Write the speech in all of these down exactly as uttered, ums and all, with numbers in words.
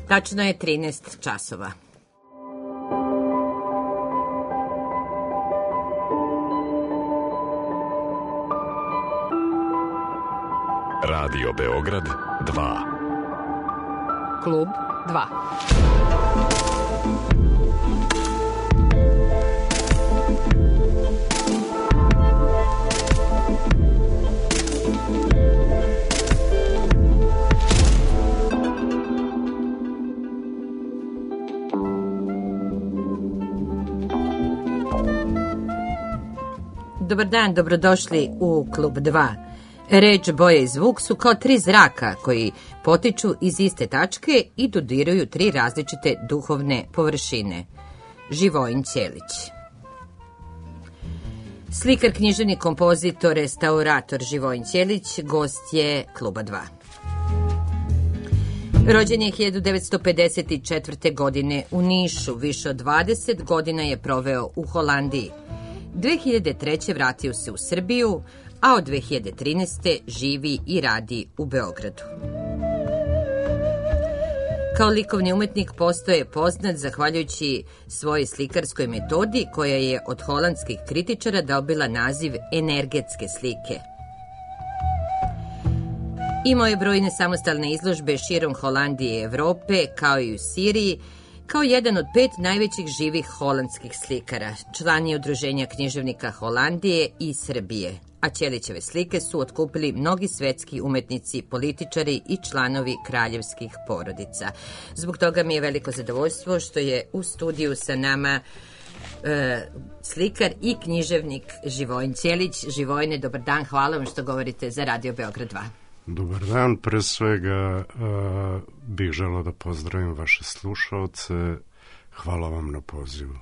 Tačno je trinaest časova. Radio Beograd dva. Klub dva. Dobar dan, dobrodošli u Klub dva. Reč, boje i zvuk su kao tri zraka koji potiču iz iste tačke i dodiruju tri različite duhovne površine. Živojin Ćelić. Slikar, književnik, kompozitor, restaurator Živojin Ćelić gost je Kluba dva. Rođen je hiljadu devetsto pedeset četvrte. godine u Nišu, više od dvadeset godina je proveo u Holandiji. dve hiljade treće. vratio se u Srbiju, a od dve hiljade trinaeste. živi i radi u Beogradu. Kao likovni umetnik postaje poznat zahvaljujući svojoj slikarskoj metodi koja je od holandskih kritičara dobila naziv energetske slike. Imao je brojne samostalne izložbe širom Holandije i Evrope, kao i u Siriji, kao jedan od pet najvećih živih holandskih slikara. Član je Udruženja književnika Holandije i Srbije, a Ćelićeve slike su otkupili mnogi svetski umetnici, političari i članovi kraljevskih porodica. Zbog toga mi je veliko zadovoljstvo što je u studiju sa nama e, slikar i književnik Živojin Ćelić. Živojine, dobar dan, hvala vam što govorite za Radio Beograd dva. Dobar dan, pre svega uh, bih želeo da pozdravim vaše slušaoce. Hvala vam na pozivu.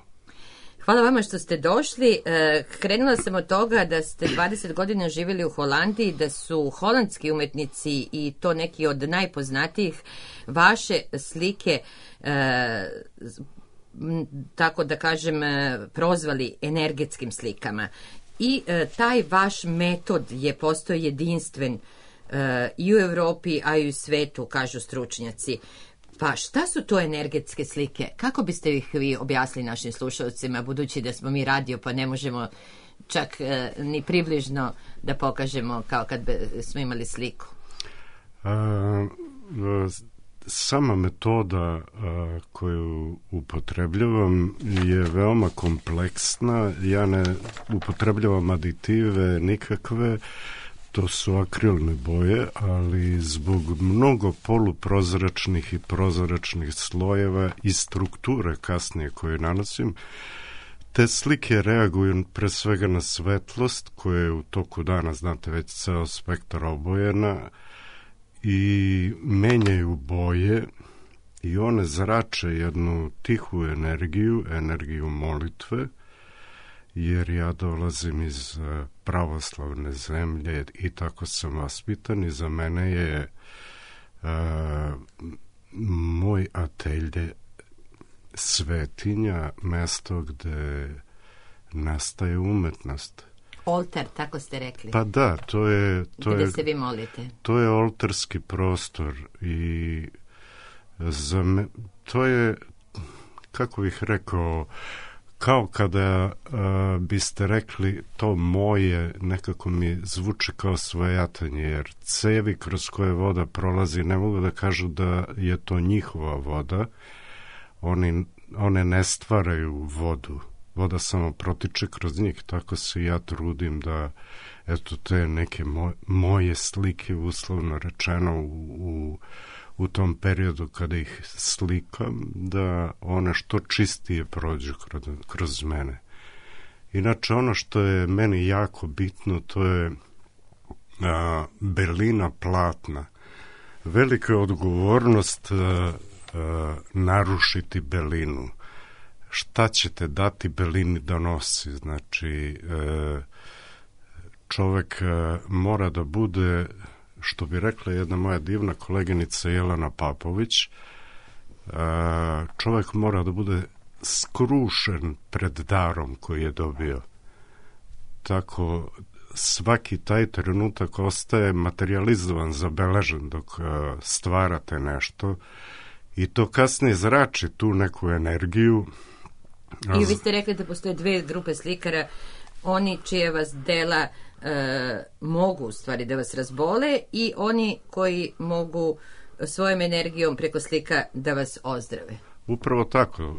Hvala vama što ste došli. E, krenula sam od toga da ste dvadeset godina živjeli u Holandiji, da su holandski umetnici i to neki od najpoznatijih vaše slike, e, tako da kažem, prozvali energetskim slikama. I e, taj vaš metod je postao jedinstven i u Evropi, a i u svetu, kažu stručnjaci. Pa šta su to energetske slike? Kako biste ih vi objasnili našim slušalcima, budući da smo mi radio, pa ne možemo čak e, ni približno da pokažemo kao kad smo imali sliku? A, sama metoda a, koju upotrebljavam je veoma kompleksna. Ja ne upotrebljavam aditive nikakve. To su akrilne boje, ali zbog mnogo poluprozračnih i prozračnih slojeva i strukture kasnije koje nanosim, te slike reaguju pre svega na svetlost koja je u toku dana, znate, već ceo spektar obojena, i menjaju boje i one zrače jednu tihu energiju, energiju molitve, jer ja dolazim iz pravoslavne zemlje i tako sam vaspitan i za mene je uh, moj atelje svetinja, mesto gde nastaje umetnost. Oltar, tako ste rekli. Pa da, to je... To gde je, se vi molite. To je oltarski prostor i za me, to je, kako bih rekao, kao kada uh, biste rekli to moje, nekako mi zvuči kao svojatanje, jer cevi kroz koje voda prolazi ne mogu da kažu da je to njihova voda. Oni, one ne stvaraju vodu. Voda samo protiče kroz njih. Tako se ja trudim da, eto, te neke moj, moje slike, uslovno rečeno, u, u u tom periodu kada ih slikam, da one što čistije prođu kroz, kroz mene. Inače, ono što je meni jako bitno, to je a, belina platna. Velika je odgovornost a, a, narušiti belinu. Šta ćete dati belini da nosi? Znači, a, čovek a, mora da bude, što bi rekla jedna moja divna koleginica Jelena Papović, čovjek mora da bude skrušen pred darom koji je dobio. Tako svaki taj trenutak ostaje materializovan, zabeležen dok stvarate nešto i to kasnije zrači tu neku energiju. I vi ste rekli da postoje dve grupe slikara, oni čije vas dela e, mogu u stvari da vas razbole i oni koji mogu svojom energijom preko slika da vas ozdrave. Upravo tako. E,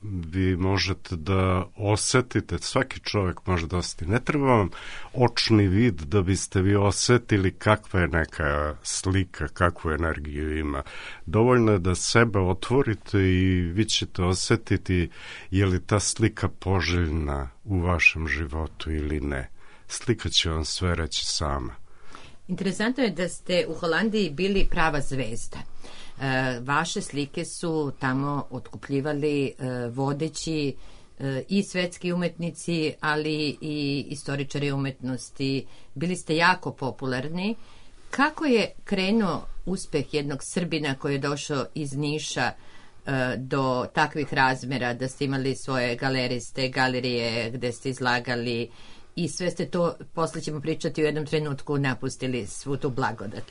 vi možete da osetite, svaki čovjek može da osjeti. Ne treba vam očni vid da biste vi osetili kakva je neka slika, kakvu energiju ima. Dovoljno je da sebe otvorite i vi ćete osetiti je li ta slika poželjna u vašem životu ili ne. Slika će vam sve reći sama. Interesantno je da ste u Holandiji bili prava zvezda. E, vaše slike su tamo otkupljivali e, vodeći e, i svetski umetnici, ali i istoričari umetnosti. Bili ste jako popularni. Kako je krenuo uspeh jednog Srbina koji je došao iz Niša e, do takvih razmera, da ste imali svoje galeriste, galerije gde ste izlagali i sve ste to, posle ćemo pričati, u jednom trenutku napustili svu tu blagodat?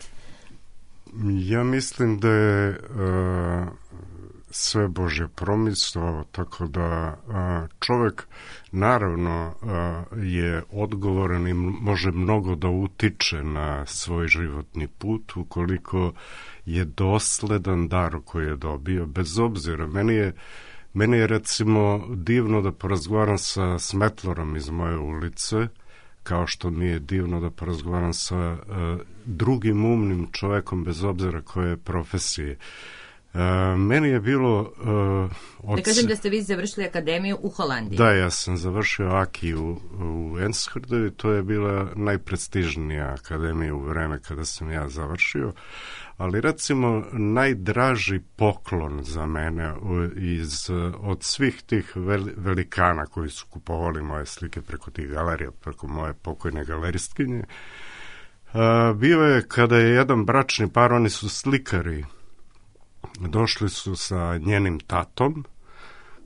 Ja mislim da je uh, sve Božje promislio, tako da uh, čovjek naravno uh, je odgovoran i može mnogo da utiče na svoj životni put ukoliko je dosledan dar koji je dobio, bez obzira. Meni je Meni je recimo divno da porazgovaram sa smetlorom iz moje ulice, kao što mi je divno da porazgovaram sa uh, drugim umnim čovjekom, bez obzira koje je profesije. Uh, meni je bilo... Uh, od... Da kažem da ste vi završili akademiju u Holandiji. Da, ja sam završio Aki u, u Enschede i to je bila najprestižnija akademija u vreme kada sam ja završio. Ali recimo najdraži poklon za mene iz, od svih tih velikana koji su kupovali moje slike preko tih galerija, preko moje pokojne galeristkinje, bio je kada je jedan bračni par, oni su slikari, došli su sa njenim tatom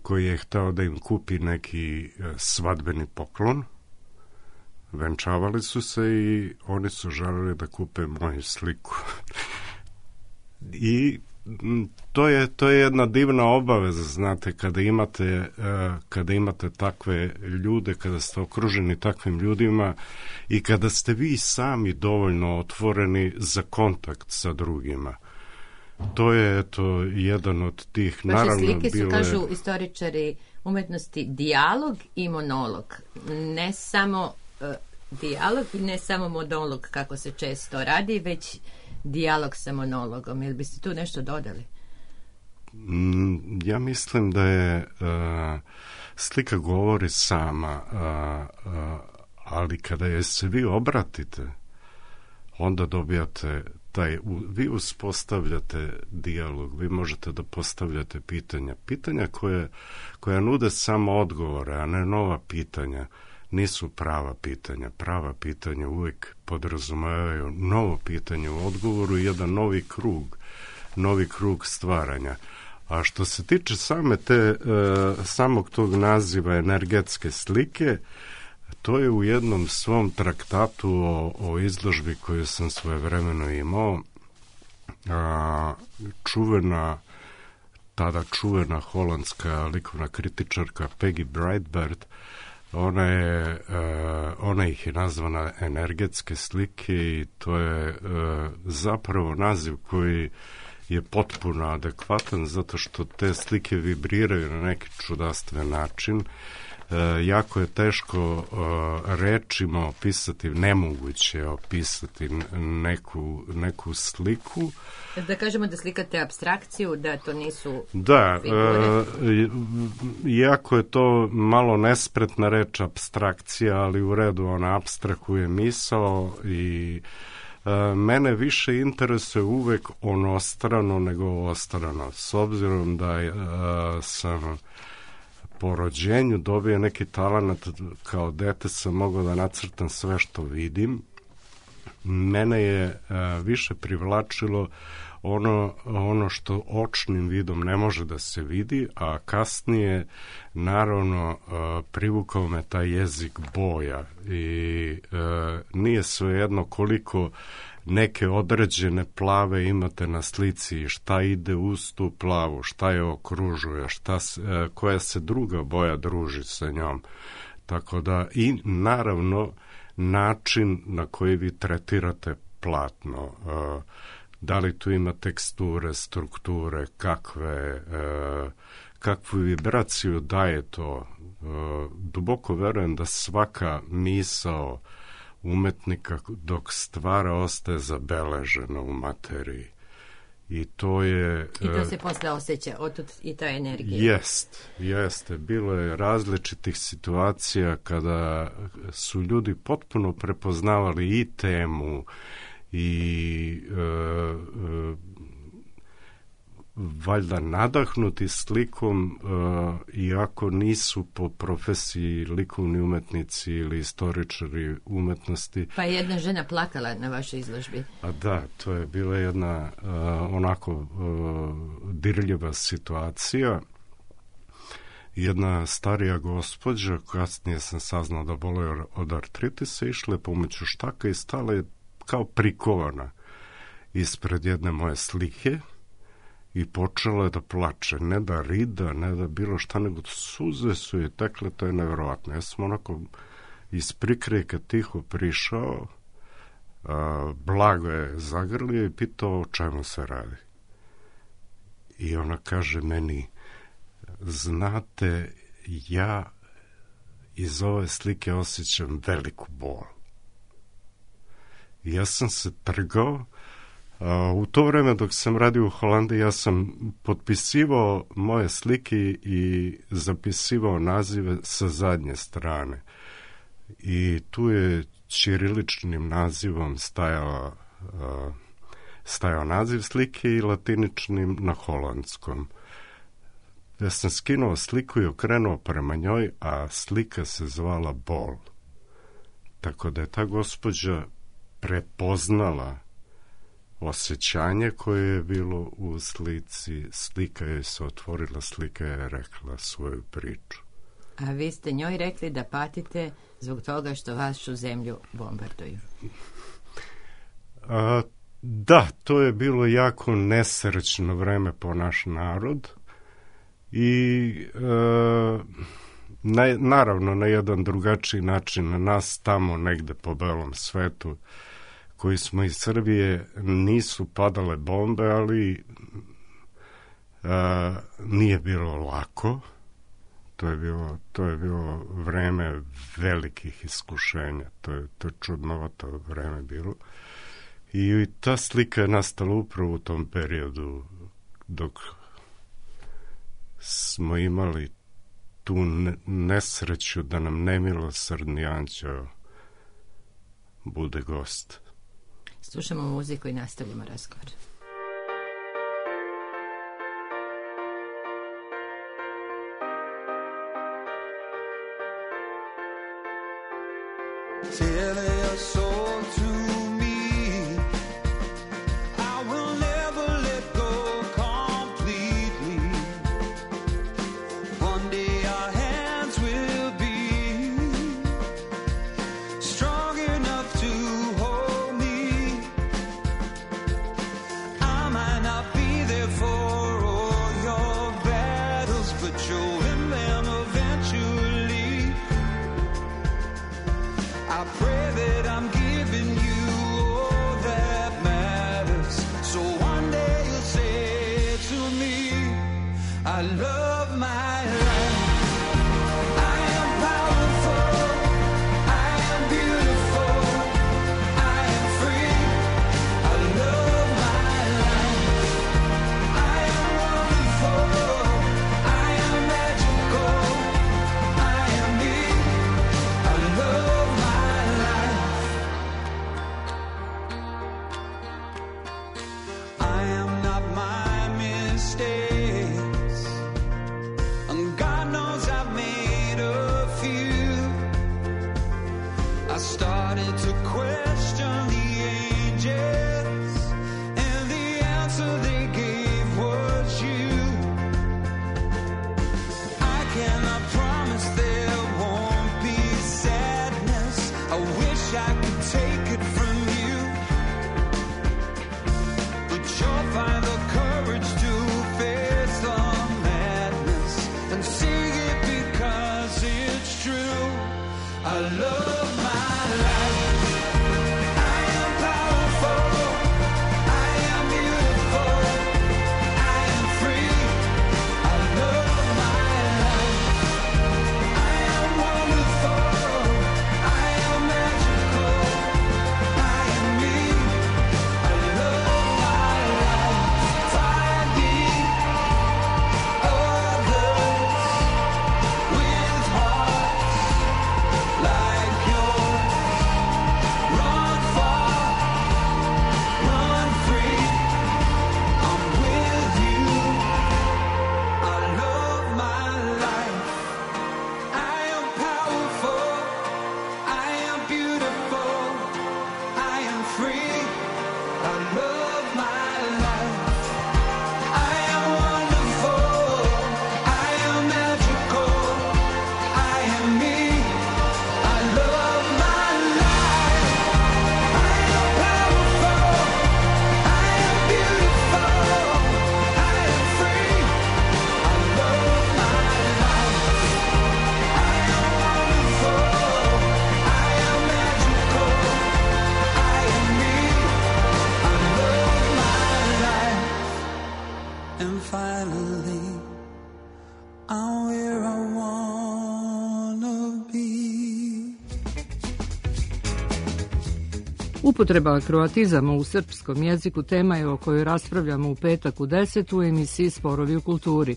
koji je hteo da im kupi neki svadbeni poklon. Venčavali su se i oni su želeli da kupe moju sliku. I to je, to je jedna divna obaveza, znate, kada imate, kada imate takve ljude, kada ste okruženi takvim ljudima i kada ste vi sami dovoljno otvoreni za kontakt sa drugima. To je, eto, jedan od tih, vaše naravno, slike su, bile... kažu istoričari umetnosti, dijalog i monolog. Ne samo uh, dijalog i ne samo monolog, kako se često radi, već dijalog sa monologom. Jel biste tu nešto dodali? Ja mislim da je uh, slika govori sama, uh, uh, ali kada je se vi obratite, onda dobijate taj, vi uspostavljate dijalog, vi možete da postavljate pitanja. Pitanja koje, koja nude samo odgovore, a ne nova pitanja, nisu prava pitanja. Prava pitanja uvijek podrazumevaju novo pitanje u odgovoru i jedan novi krug, novi krug stvaranja. A što se tiče same te, e, samog tog naziva energetske slike, to je u jednom svom traktatu o, o izložbi koju sam svojevremeno imao, a, čuvena, tada čuvena holandska likovna kritičarka Peggy Breitbart, ona je, uh, ona ih je nazvana energetske slike i to je uh, zapravo naziv koji je potpuno adekvatan zato što te slike vibriraju na neki čudastven način. Uh, jako je teško uh, rečima opisati, nemoguće opisati neku, neku sliku. Da kažemo da slikate apstrakciju, da to nisu da, figure. E, iako je to malo nespretna reč apstrakcija, ali u redu, ona apstrahuje misao i e, mene više interesuje uvek onostrano nego ostrano. S obzirom da e, sam po rođenju dobio neki talenat, kao dete sam mogao da nacrtam sve što vidim. Mene je e, više privlačilo ono, ono što očnim vidom ne može da se vidi, a kasnije naravno e, privukao me taj jezik boja i e, nije svejedno koliko neke određene plave imate na slici i šta ide uz tu plavu, šta je okružuje, šta se, koja se druga boja druži sa njom. Tako da i naravno način na koji vi tretirate platno, da li tu ima teksture, strukture, kakve, kakvu vibraciju daje to. Duboko verujem da svaka misao umetnika dok stvara ostaje zabeležena u materiji. I to je... I to se posle osjeća, otud i ta energija. Jest, jeste. Bilo je različitih situacija kada su ljudi potpuno prepoznavali i temu i e, e, valjda nadahnuti slikom, e, iako nisu po profesiji likovni umetnici ili istoričari umetnosti. Pa je jedna žena plakala na vašoj izložbi. A da, to je bila jedna uh, onako uh, dirljiva situacija. Jedna starija gospođa, kasnije sam saznao da boluje od artritisa, išla je pomoću štaka i stala je kao prikovana ispred jedne moje slike i počela je da plače, ne da rida, ne da bilo šta, nego suze su je tekle, to je nevjerovatno. Ja sam onako iz prikrejka tiho prišao, a, blago je zagrlio i pitao o čemu se radi. I ona kaže meni, znate, ja iz ove slike osjećam veliku bol. I ja sam se trgao. U to vreme dok sam radio u Holandiji, ja sam potpisivao moje slike i zapisivao nazive sa zadnje strane. I tu je ćiriličnim nazivom stajao, stajao naziv slike i latiničnim na holandskom. Ja sam skinuo sliku i okrenuo prema njoj, a slika se zvala Bol. Tako da je ta gospođa prepoznala osjećanje koje je bilo u slici, slika je se otvorila, slika je rekla svoju priču. A vi ste njoj rekli da patite zbog toga što vašu zemlju bombarduju. A, da, to je bilo jako nesrećno vreme po naš narod i e, na, naravno na jedan drugačiji način na nas tamo negde po belom svetu koji smo iz Srbije nisu padale bombe, ali a, nije bilo lako. To je bilo, to je bilo vreme velikih iskušenja. To je, to je čudnovato vreme bilo. I ta slika je nastala upravo u tom periodu dok smo imali tu nesreću da nam nemilosrdni anđeo bude gost. Slušamo muziku i nastavljamo razgovor. mistakes and God and finally I'm where I wanna be. Upotreba kroatizama u srpskom jeziku tema je o kojoj raspravljamo u petak u deset u emisiji Sporovi u kulturi.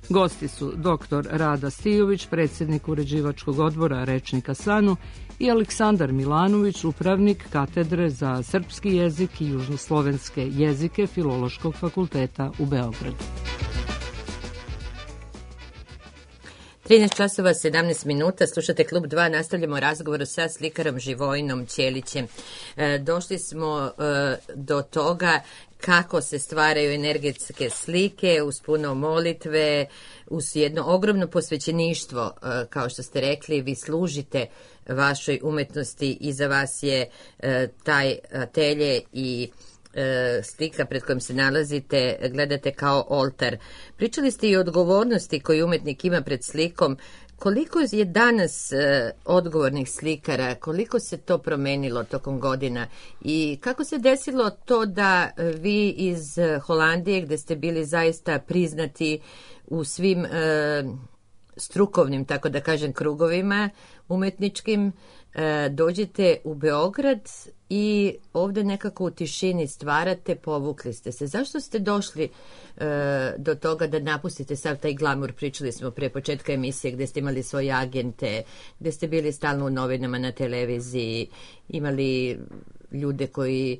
Gosti su doktor Rada Stijović, predsjednik uređivačkog odbora Rečnika Sanu, i Aleksandar Milanović, upravnik katedre za srpski jezik i južnoslovenske jezike Filološkog fakulteta u Beogradu. trinaest časova sedamnaest minuta, slušate Klub dva, nastavljamo razgovor sa slikarom Živojinom Ćelićem. E, došli smo e, do toga kako se stvaraju energetske slike uz puno molitve, uz jedno ogromno posvećeništvo, e, kao što ste rekli, vi služite vašoj umetnosti, i za vas je e, taj atelje i slika pred kojom se nalazite gledate kao oltar. Pričali ste i o odgovornosti koju umetnik ima pred slikom. Koliko je danas e, odgovornih slikara, koliko se to promenilo tokom godina i kako se desilo to da vi iz Holandije, gde ste bili zaista priznati u svim e, strukovnim, tako da kažem, krugovima umetničkim, e, dođete u Beograd i ovde nekako u tišini stvarate, povukli ste se. Zašto ste došli e, do toga da napustite sav taj glamur? Pričali smo pre početka emisije gde ste imali svoje agente, gde ste bili stalno u novinama, na televiziji, imali ljude koji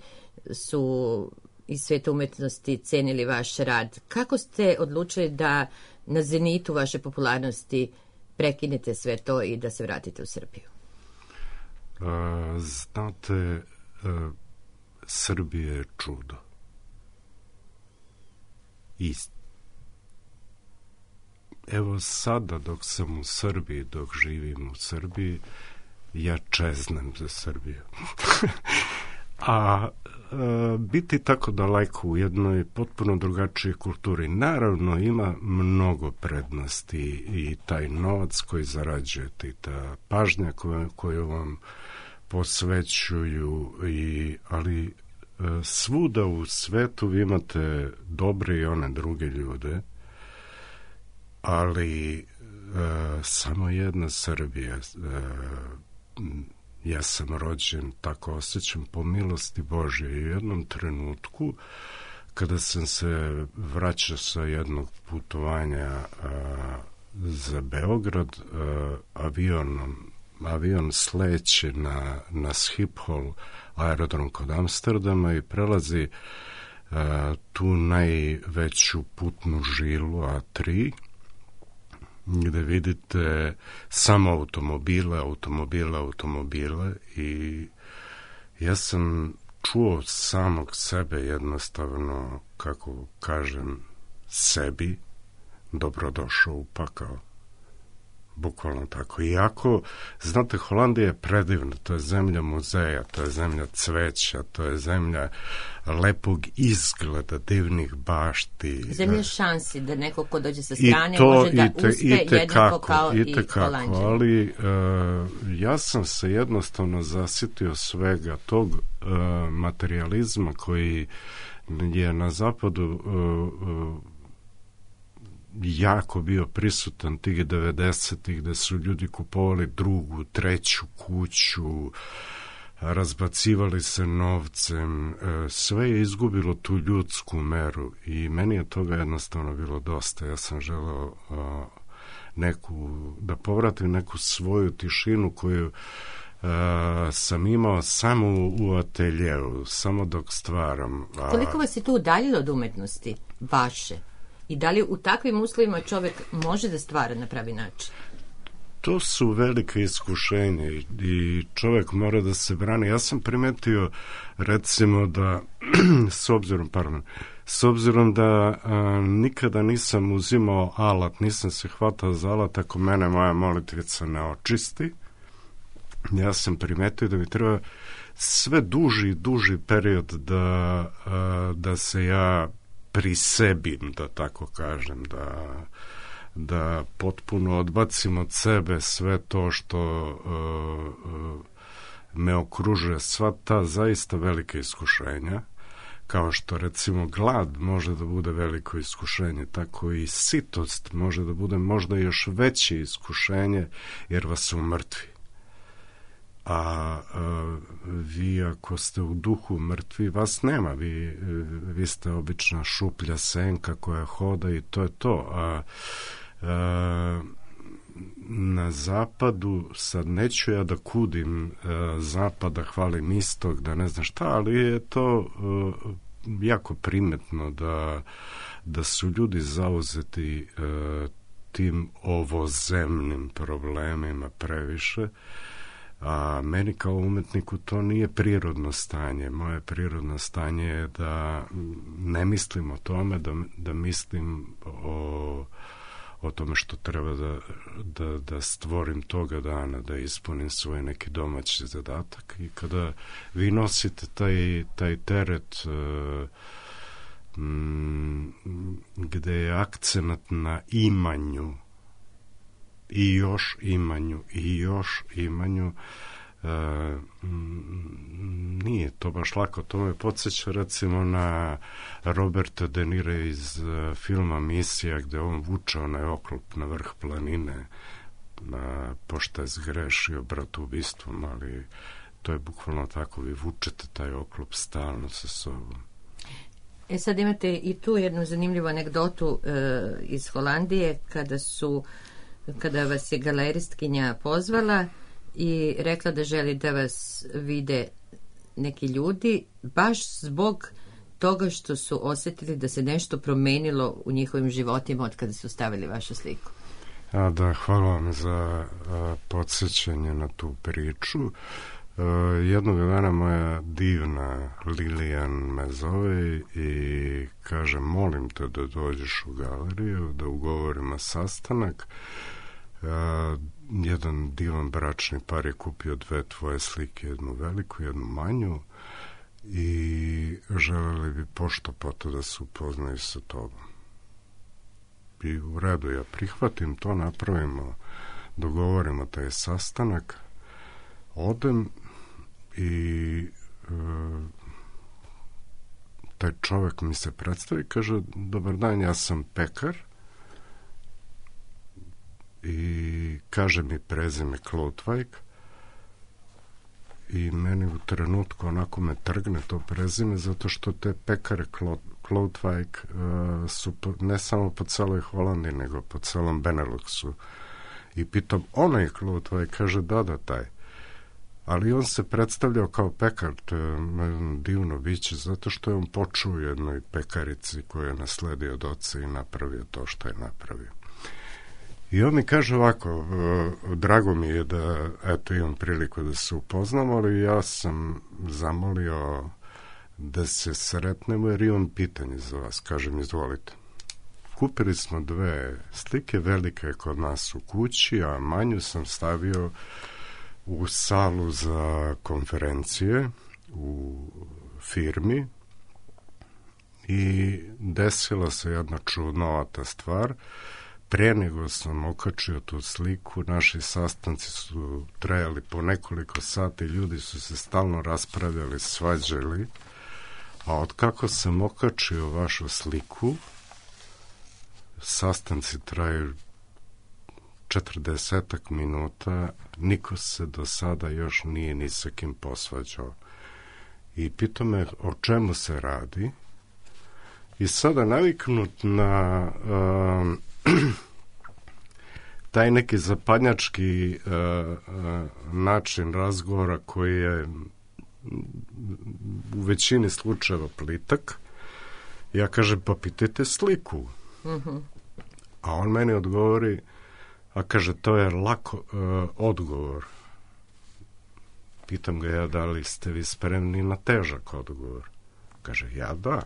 su iz sveta umetnosti cenili vaš rad. Kako ste odlučili da na zenitu vaše popularnosti prekinete sve to i da se vratite u Srbiju? Uh, znate, uh, Srbija je čudo. I evo sada dok sam u Srbiji, dok živim u Srbiji, ja čeznem za Srbiju. A e, biti tako daleko u jednoj potpuno drugačijoj kulturi, naravno ima mnogo prednosti, i taj novac koji zarađujete i ta pažnja koju, koju vam posvećuju, i, ali e, svuda u svetu vi imate dobre i one druge ljude, ali e, samo jedna Srbija. E, ja sam rođen, tako osjećam, po milosti Božje. I u jednom trenutku, kada sam se vraćao sa jednog putovanja a, za Beograd, a, avionom, avion sleće na, na Schiphol, aerodrom kod Amsterdama, i prelazi a, tu najveću putnu žilu A tri, gde vidite samo automobile, automobile, automobile, i ja sam čuo samog sebe jednostavno, kako kažem, sebi, dobrodošao u pakao. Bukvalno tako. Iako, znate, Holandija je predivna, to je zemlja muzeja, to je zemlja cveća, to je zemlja lepog izgleda, divnih bašti. Zemlja šansi, da neko ko dođe sa strane to, može da te, uspe i te jednako kako, kao i, i Holanđani. Ali uh, ja sam se jednostavno zasitio svega tog uh, materializma koji je na zapadu uh, uh, jako bio prisutan tih devedesetih, gde su ljudi kupovali drugu, treću kuću, razbacivali se novcem, sve je izgubilo tu ljudsku meru, i meni je toga jednostavno bilo dosta. Ja sam želeo neku, da povratim neku svoju tišinu koju Uh, sam imao samo u ateljeu, samo dok stvaram. A... Koliko vas je tu udaljilo od umetnosti vaše? I da li u takvim uslovima čovjek može da stvara na pravi način? To su velike iskušenja i čovjek mora da se brani. Ja sam primetio, recimo, da s obzirom, pardon, s obzirom da a, nikada nisam uzimao alat, nisam se hvatao za alat ako mene moja molitvica ne očisti, ja sam primetio da mi treba sve duži i duži period da, a, da se ja prisebim, da tako kažem, da, da potpuno odbacim od sebe sve to što uh, uh, me okružuje, sva ta zaista velika iskušenja, kao što recimo glad može da bude veliko iskušenje, tako i sitost može da bude možda još veće iskušenje, jer vas umrtvi. A, a vi ako ste u duhu mrtvi, vas nema, vi, vi ste obična šuplja senka koja hoda i to je to. A, a na zapadu, sad neću ja da kudim a, zapada, hvalim istog, da ne znam šta, ali je to a, jako primetno da, da su ljudi zauzeti a, tim ovozemnim problemima previše. A meni kao umetniku to nije prirodno stanje. Moje prirodno stanje je da ne mislim o tome, da, da mislim o, o tome što treba da, da, da stvorim toga dana, da ispunim svoj neki domaći zadatak. I kada vi nosite taj, taj teret uh, m, gde je akcenat na imanju, i još imanju, i još imanju, e, nije to baš lako. To me podsjeća recimo na Roberta De Nira iz uh, filma Misija, gde on vuče onaj oklop na vrh planine, a, pošto je zgrešio bratubistvom, ali to je bukvalno tako, vi vučete taj oklop stalno sa sobom. E sad imate i tu jednu zanimljivu anegdotu e, iz Holandije, kada su kada vas je galeristkinja pozvala i rekla da želi da vas vide neki ljudi, baš zbog toga što su osjetili da se nešto promenilo u njihovim životima od kada su stavili vašu sliku. A da, hvala vam za a, podsjećanje na tu priču. A, jednog dana moja divna Lilijan me zove i kaže, molim te da dođeš u galeriju, da ugovorimo sastanak. Uh, jedan divan bračni par je kupio dve tvoje slike, jednu veliku, jednu manju, i želeli bi pošto poto da se upoznaju sa tobom. I u redu, ja prihvatim to, napravimo, dogovorimo taj sastanak, odem i uh, taj čovek mi se predstavi, kaže, dobar dan, ja sam pekar, i kaže mi prezime Kloutwijk, i meni u trenutku onako me trgne to prezime, zato što te pekare Kloutwijk uh, su po, ne samo po celoj Holandiji, nego po celom Beneluxu. I pitam, onaj Kloutwijk? Kaže, da, da, taj. Ali on se predstavljao kao pekar, to je divno biće, zato što je on počuo u jednoj pekarici koju je nasledio od oca i napravio to što je napravio. I on mi kaže ovako, drago mi je da eto imam priliku da se upoznamo, ali ja sam zamolio da se sretnemo jer imam pitanje za vas. Kažem, izvolite. Kupili smo dve slike, velika je kod nas u kući, a manju sam stavio u salu za konferencije u firmi i desila se jedna čudnovata stvar. Pre nego sam okačio tu sliku, naši sastanci su trajali po nekoliko sati, ljudi su se stalno raspravljali, svađali, a od kako sam okačio vašu sliku, sastanci traju četrdesetak minuta, niko se do sada još nije ni sa kim posvađao. I pitao me o čemu se radi, i sada naviknut na um, taj neki zapadnjački uh, uh, način razgovora koji je u većini slučajeva plitak, ja kažem, pa pitajte sliku. Mm-hmm. A on meni odgovori, a kaže, to je lako uh, odgovor. Pitam ga ja, da li ste vi spremni na težak odgovor? Kaže, ja da.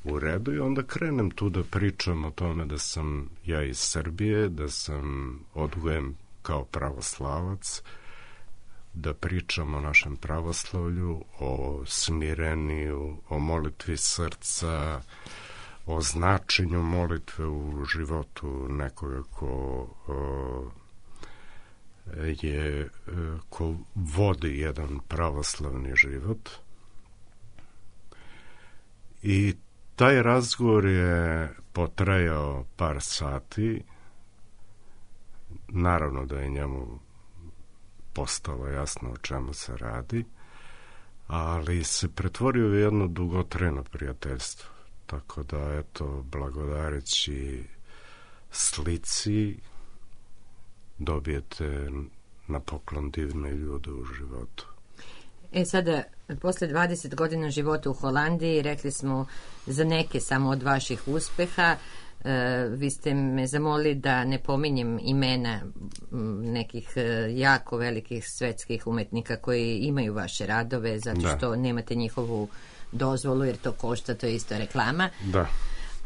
U redu, i onda krenem tu da pričam o tome da sam ja iz Srbije, da sam odgojen kao pravoslavac, da pričam o našem pravoslavlju, o smireniju, o molitvi srca, o značenju molitve u životu nekoga ko o, je, ko vodi jedan pravoslavni život. I taj razgovor je potrajao par sati. Naravno da je njemu postalo jasno o čemu se radi, ali se pretvorio u jedno dugotrajno prijateljstvo. Tako da, eto, blagodareći slici dobijete na poklon divne ljude u životu. E sada, posle dvadeset godina života u Holandiji, rekli smo za neke samo od vaših uspeha, e, vi ste me zamolili da ne pominjem imena nekih jako velikih svetskih umetnika koji imaju vaše radove, zato da. što nemate njihovu dozvolu, jer to košta, to je isto reklama. Da.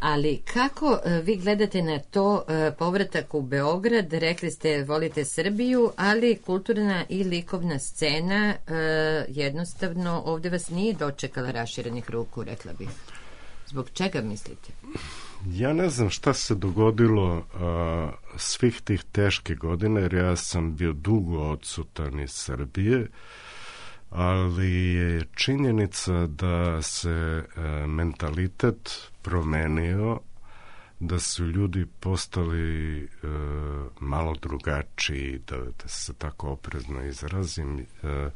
Ali kako vi gledate na to, povratak u Beograd, rekli ste volite Srbiju, ali kulturna i likovna scena jednostavno ovde vas nije dočekala raširenih ruku, rekla bih. Zbog čega mislite? Ja ne znam šta se dogodilo uh, svih tih teških godina, jer ja sam bio dugo odsutan iz Srbije, ali je činjenica da se uh, mentalitet promenio, da su ljudi postali uh, malo drugačiji, da, da se tako oprezno izrazim. Uh,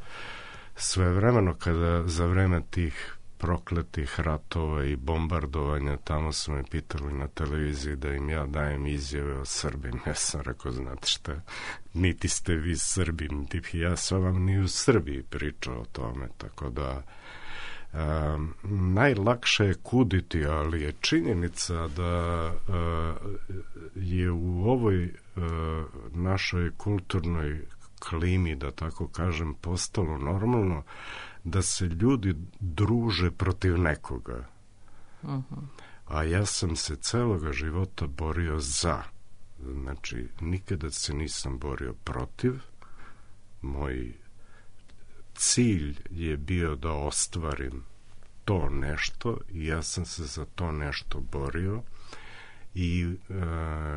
Svevremeno kada za vreme tih prokletih ratova i bombardovanja, tamo su me pitali na televiziji da im ja dajem izjave o Srbima. Ja sam rekao, znate šta, niti ste vi Srbi, niti ja sam vam ni u Srbiji pričao o tome, tako da um, najlakše je kuditi, ali je činjenica da uh, je u ovoj uh, našoj kulturnoj klimi, da tako kažem, postalo normalno da se ljudi druže protiv nekoga. Uh-huh. A ja sam se celoga života borio za. Znači, nikada se nisam borio protiv. Moj cilj je bio da ostvarim to nešto i ja sam se za to nešto borio. I e,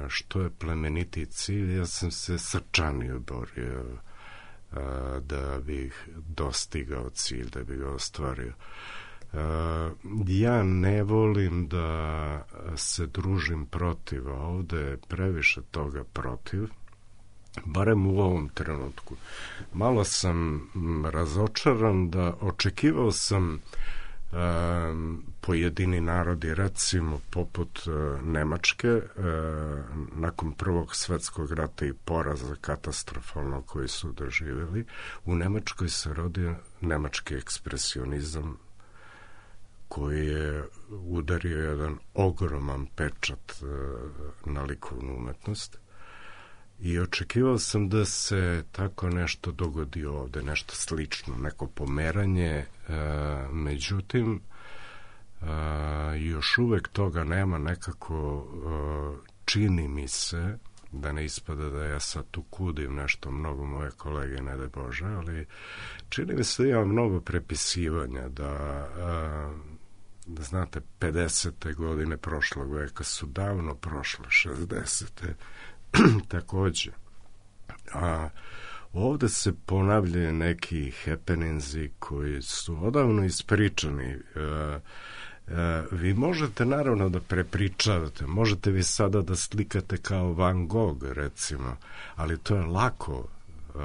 što je plemeniti cilj, ja sam se srčanio borio da bih dostigao cilj, da bih ga ostvario. Ja ne volim da se družim protiv, a ovde je previše toga protiv, barem u ovom trenutku. Malo sam razočaran, da očekivao sam Um, pojedini narodi, recimo poput uh, Nemačke, uh, nakon prvog svetskog rata i poraza katastrofalno koji su doživjeli, u Nemačkoj se rodio nemački ekspresionizam koji je udario jedan ogroman pečat uh, na likovnu umetnost. I očekivao sam da se tako nešto dogodi ovde, nešto slično, neko pomeranje, e, međutim, e, još uvek toga nema, nekako e, čini mi se, da ne ispada da ja sad tu kudim nešto, mnogo moje kolege, ne daj Bože, ali čini mi se da ima mnogo prepisivanja, da, e, da znate, pedesete godine prošlog veka su davno prošle, šezdesete takođe. A ovde se ponavljaju neki happeningsi koji su odavno ispričani. E, e, vi možete naravno da prepričavate, možete vi sada da slikate kao Van Gogh, recimo, ali to je lako. E,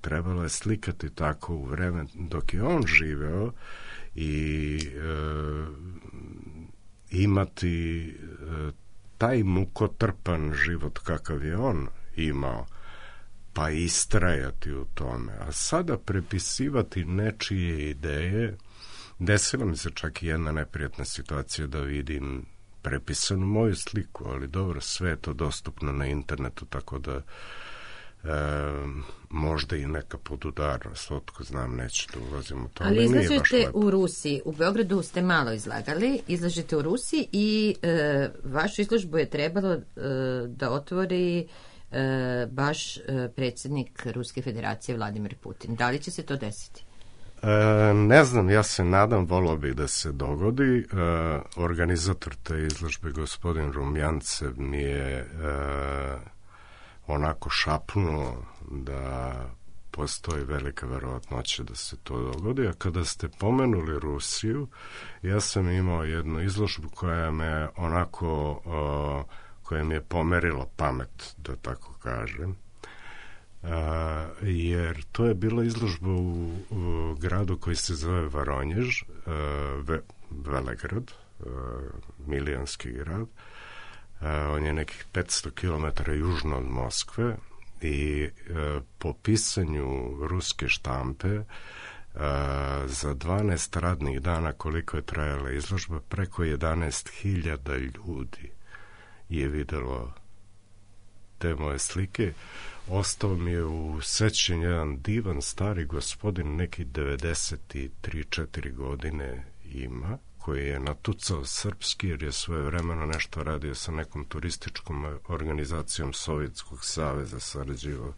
trebalo je slikati tako u vreme dok je on živeo i e, imati e, taj mukotrpan život kakav je on imao, pa istrajati u tome. A sada prepisivati nečije ideje, desila mi se čak i jedna neprijatna situacija da vidim prepisanu moju sliku, ali dobro, sve je to dostupno na internetu, tako da e, možda i neka podudarnost, otko znam, neću da ulazim u to. Ali izlažete u Rusiji, u Beogradu ste malo izlagali, izlažete u Rusiji i e, vašu izložbu je trebalo e, da otvori e, baš e, predsjednik Ruske federacije Vladimir Putin. Da li će se to desiti? E, ne znam, ja se nadam, volao bih da se dogodi. E, organizator te izložbe, gospodin Rumjancev, mi je e, onako šapnuo da postoji velika verovatnoća da se to dogodi. A kada ste pomenuli Rusiju, ja sam imao jednu izložbu koja me onako, uh, koja mi je pomerila pamet, da tako kažem. Uh, jer to je bila izložba u, u gradu koji se zove Varonjež, uh, Ve, Velegrad, uh, milijonski grad. Uh, on je nekih petsto kilometara južno od Moskve i uh, po pisanju ruske štampe uh, za dvanaest radnih dana koliko je trajala izložba, preko jedanaest hiljada ljudi je videlo te moje slike. Ostao mi je u sećanju jedan divan stari gospodin, neki devedeset tri četiri godine ima, koji je natucao srpski jer je svoje vremeno nešto radio sa nekom turističkom organizacijom Sovjetskog saveza, sarađivao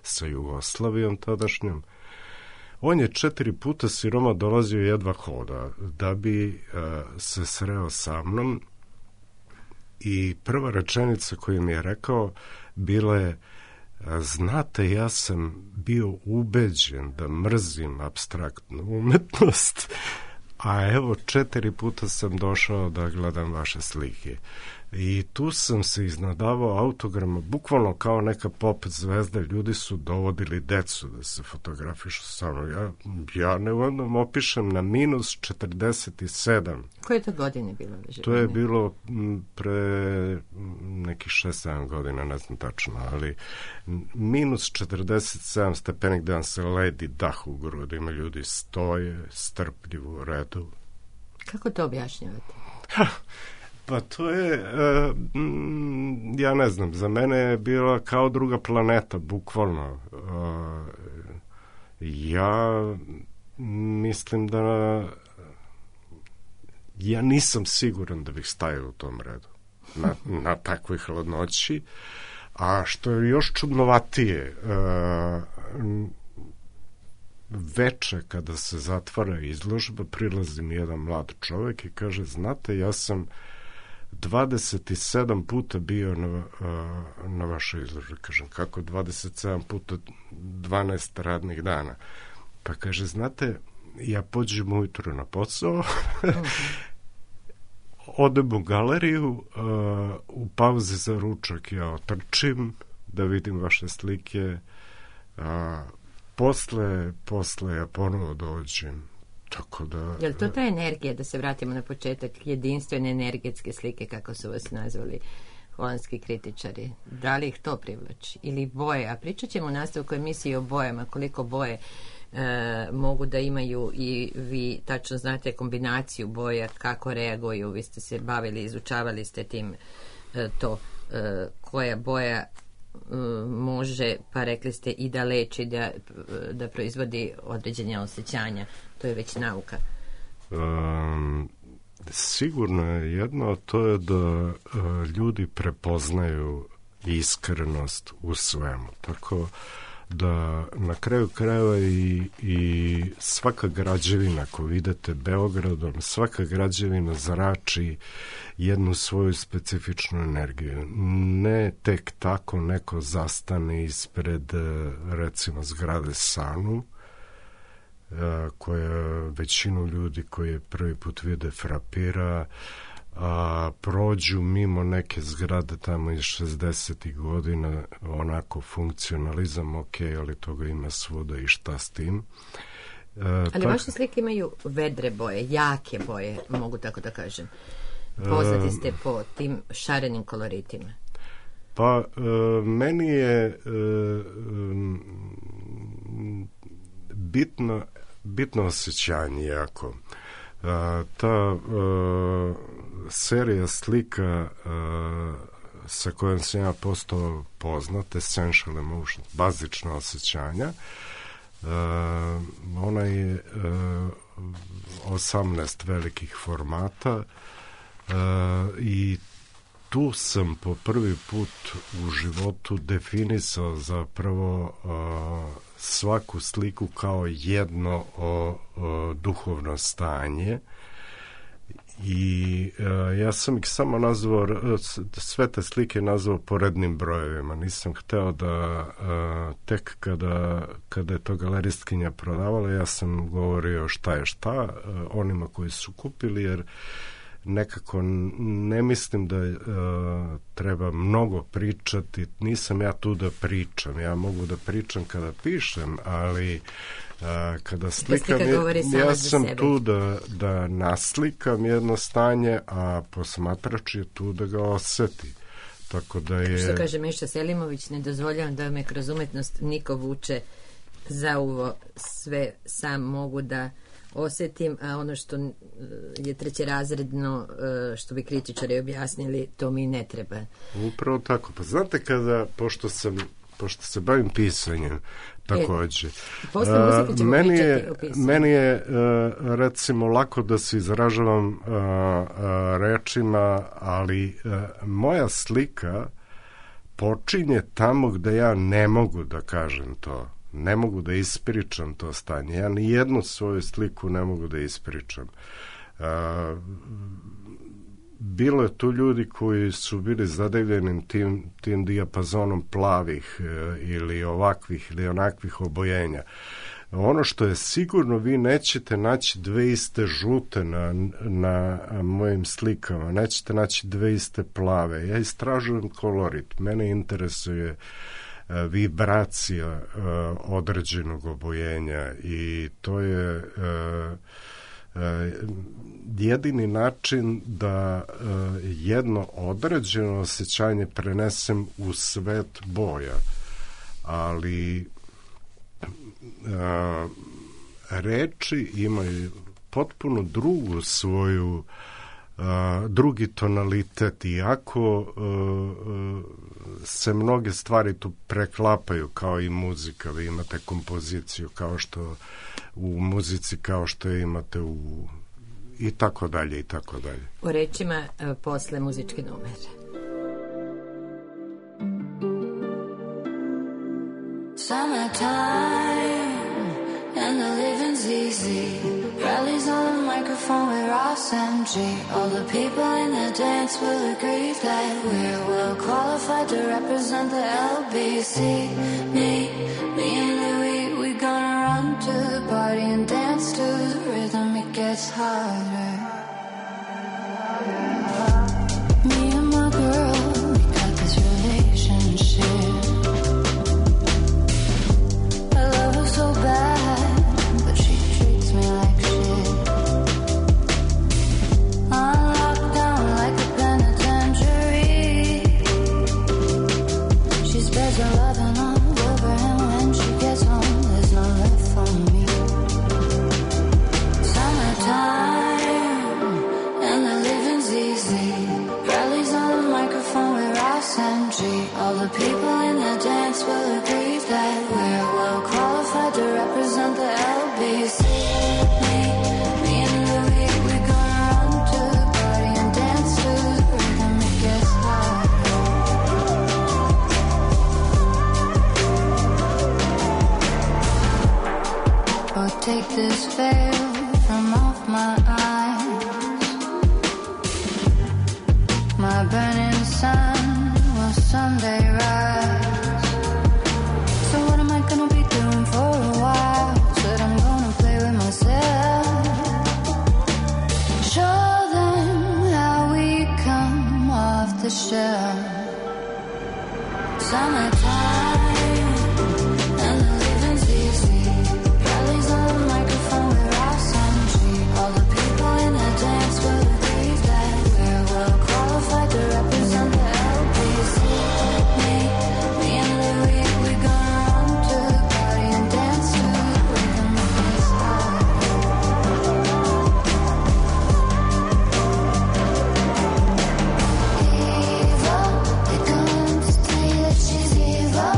sa Jugoslavijom tadašnjom. On je četiri puta siroma dolazio jedva hoda da bi uh, se sreo sa mnom i prva rečenica koju mi je rekao bila je: znate, ja sam bio ubeđen da mrzim apstraktnu umetnost, a evo četiri puta sam došao da gledam vaše slike. I tu sam se iznadavao autograma, bukvalno kao neka pop zvezda. Ljudi su dovodili decu da se fotografišu sa mnom. Ja, ja ne vodom opišem na minus četrdeset sedam. Koje to godine bilo? To je bilo pre nekih šest sedam godina, ne znam tačno, ali minus četrdeset sedam stepeni gde vam se ledi dah u grudima, ljudi stoje strpljivo u redu. Kako to objašnjavate? Pa to je, uh, mm, ja ne znam, za mene je bila kao druga planeta, bukvalno. Uh, ja mislim da ja nisam siguran da bih stajao u tom redu na, na takvoj hladnoći, a što je još čudnovatije, uh, veče kada se zatvara izložba, prilazi mi jedan mlad čovek i kaže: znate, ja sam dvadeset sedam puta bio na, na vašoj izložbi. Kažem: kako dvadeset sedam puta dvanaest radnih dana? Pa kaže: znate, ja pođem ujutro na posao, odem u galeriju, uh, u pauzi za ručak ja otrčim da vidim vaše slike, uh, posle, posle ja ponovo dođem. Tako da... Je li to ta energija, da se vratimo na početak, jedinstvene energetske slike, kako su vas nazvali holandski kritičari? Da li ih to privlači? Ili boje? A pričat ćemo u nastavku emisiji o bojama, koliko boje e, mogu da imaju i vi tačno znate kombinaciju boja, kako reaguju. Vi ste se bavili, izučavali ste tim e, to, e, koja boja može, pa rekli ste i da leči, da, da proizvodi određenja osjećanja. To je već nauka. Um, sigurno je jedno, to je da uh, ljudi prepoznaju iskrenost u svemu. Tako da na kraju krajeva i, i svaka građevina koju vidite Beogradom, svaka građevina zrači jednu svoju specifičnu energiju. Ne tek tako neko zastane ispred, recimo, zgrade Sanu, koja većinu ljudi koji prvi put vide frapira, a prođu mimo neke zgrade tamo iz šezdesetih godina, onako funkcionalizam, ok, ali toga ima svuda i šta s tim. E, ali tak... vaše slike imaju vedre boje, jake boje, mogu tako da kažem. Poznati ste po tim šarenim koloritima. Pa, e, meni je e, bitno, bitno osjećanje jako. A, ta a, serija slika a, sa kojom sam ja postao poznat, Essential Emotions, bazična osjećanja, a, ona je a, osamnaest velikih formata a, i tu sam po prvi put u životu definisao zapravo a, svaku sliku kao jedno o, o, duhovno stanje i uh, ja sam ih samo nazvao, sve te slike nazvao porednim brojevima. Nisam hteo da uh, tek kada, kada je to galeristkinja prodavala, ja sam govorio šta je šta uh, onima koji su kupili, jer nekako ne mislim da uh, treba mnogo pričati. Nisam ja tu da pričam, ja mogu da pričam kada pišem, ali uh, kada slikam, ja, ja sam tu da, da naslikam jedno stanje, a posmatrač je tu da ga oseti. Tako da je... Što kaže Miša Selimović, ne dozvoljavam da me kroz umetnost niko vuče za uvo, sve sam mogu da osetim, a ono što je trećerazredno, što bi kritičari objasnili, to mi ne treba. Upravo tako. Pa znate kada, pošto sam pošto se bavim pisanjem takođe, e, uh, meni je, meni je uh, recimo lako da se izražavam uh, uh, rečima, ali uh, moja slika počinje tamo gde ja ne mogu da kažem to. Ne mogu da ispričam to stanje. Ja ni jednu svoju sliku ne mogu da ispričam. Uh, bilo je tu ljudi koji su bili zadevljeni tim, tim dijapazonom plavih uh, ili ovakvih ili onakvih obojenja. Ono što je sigurno, vi nećete naći dve iste žute na, na mojim slikama, nećete naći dve iste plave. Ja istražujem kolorit. Mene interesuje vibracija uh, određenog obojenja i to je uh, uh, jedini način da uh, jedno određeno osjećanje prenesem u svet boja. Ali uh, reči imaju potpuno drugu svoju Uh, drugi tonalitet, iako uh, uh, se mnoge stvari tu preklapaju kao i muzika. Vi imate kompoziciju kao što u muzici, kao što imate u i tako dalje i tako dalje. O rečima uh, posle muzičke numere. Summertime and the living's easy. Rallies on the microphone with Ross M G. All the people in the dance will agree that we're well qualified to represent the L B C. Me, me and Louis, we gonna run to the party and dance to the rhythm. It gets harder. Me and my girl, we got this relationship. I love her so bad, but she treats me like there's a loving all over, and when she gets home, there's no left for me. Summertime, and the living's easy. Rallies on the microphone with Ross M G. All the people in the dance will agree that we're well qualified to represent the L B C. Me, me and Louis, we're gonna run to the party and dance to the rhythm. It gets hard. Oh, take this veil from off my eyes. My burning sun will someday rise. So what am I gonna be doing for a while? Said I'm gonna play with myself. Show them how we come off the shelf. Summertime. Evil, they're going to tell you that she's evil.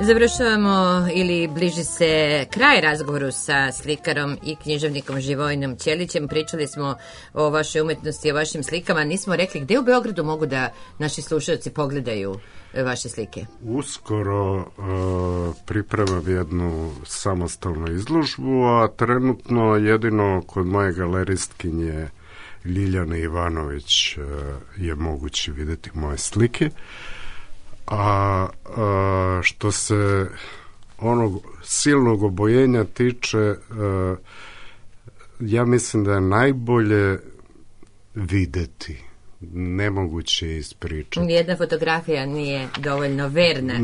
Završavamo ili bliži se kraj razgovoru sa slikarom i književnikom Živojinom Ćelićem. Pričali smo o vašoj umetnosti, o vašim slikama. Nismo rekli gde u Beogradu mogu da naši slušalci pogledaju vaše slike. Uskoro uh, pripremam jednu samostalnu izložbu, a trenutno jedino kod moje galeristkinje Ljiljane Ivanović uh, je moguće vidjeti moje slike. A, a što se onog silnog obojenja tiče, a, ja mislim da je najbolje videti, nemoguće ispričati. Nijedna fotografija nije dovoljno verna.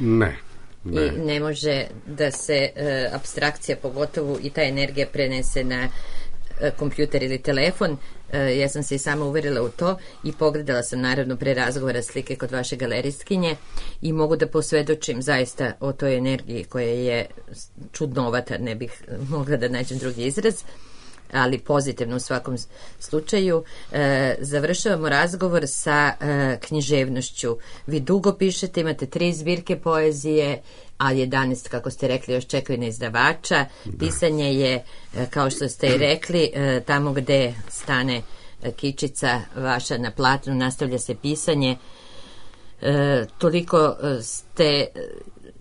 Ne. Ne. I ne može da se e, apstrakcija, pogotovo i ta energija, prenese na e, kompjuter ili telefon. E, ja sam se i sama uverila u to i pogledala sam naravno pre razgovora slike kod vaše galeristkinje i mogu da posvedočim zaista o toj energiji koja je čudnovata, ne bih mogla da nađem drugi izraz, ali pozitivno u svakom slučaju. E, završavamo razgovor sa e, književnošću. Vi dugo pišete, imate tri zbirke poezije, a jedanaest, kako ste rekli, još čekaju na izdavača. Da. Pisanje je, e, kao što ste i rekli, e, tamo gde stane e, kičica vaša na platnu, nastavlja se pisanje. E, toliko ste,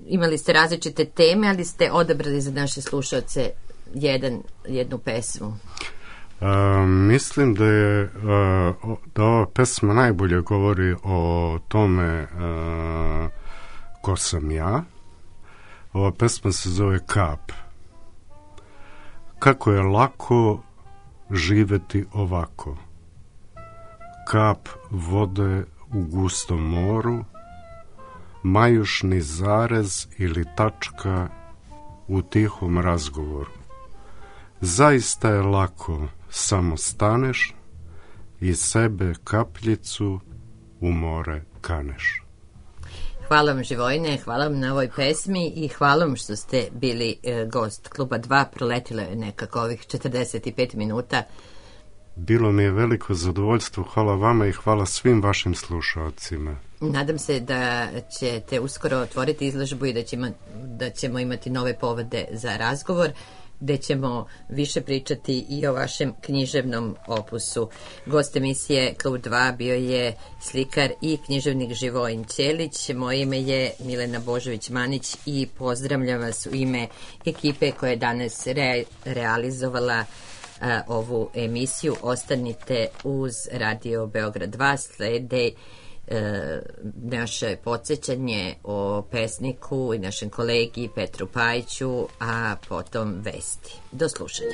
imali ste različite teme, ali ste odabrali za naše slušalce jedan, jednu pesmu. Uh, mislim da je uh, da ova pesma najbolje govori o tome uh, ko sam ja. Ova pesma se zove Kap. Kako je lako živeti ovako. Kap vode u gustom moru, majušni zarez ili tačka u tihom razgovoru. Zaista je lako, samo staneš i sebe kapljicu u more kaneš. Hvala vam, Živojine, hvala vam na ovoj pesmi i hvala vam što ste bili e, gost Kluba dva. Proletilo je nekako ovih četrdeset pet minuta. Bilo mi je veliko zadovoljstvo, hvala vama i hvala svim vašim slušalcima. Nadam se da ćete uskoro otvoriti izložbu i da ćemo, da ćemo imati nove povode za razgovor, gde ćemo više pričati i o vašem književnom opusu. Gost emisije Klub dva bio je slikar i književnik Živojin Ćelić. Moje ime je Milena Božović-Manić i pozdravljam vas u ime ekipe koja je danas re, realizovala a, ovu emisiju. Ostanite uz Radio Beograd dva, slede E, naše podsjećanje o pesniku i našem kolegi Petru Pajiću, a potom vesti. Do slušanja.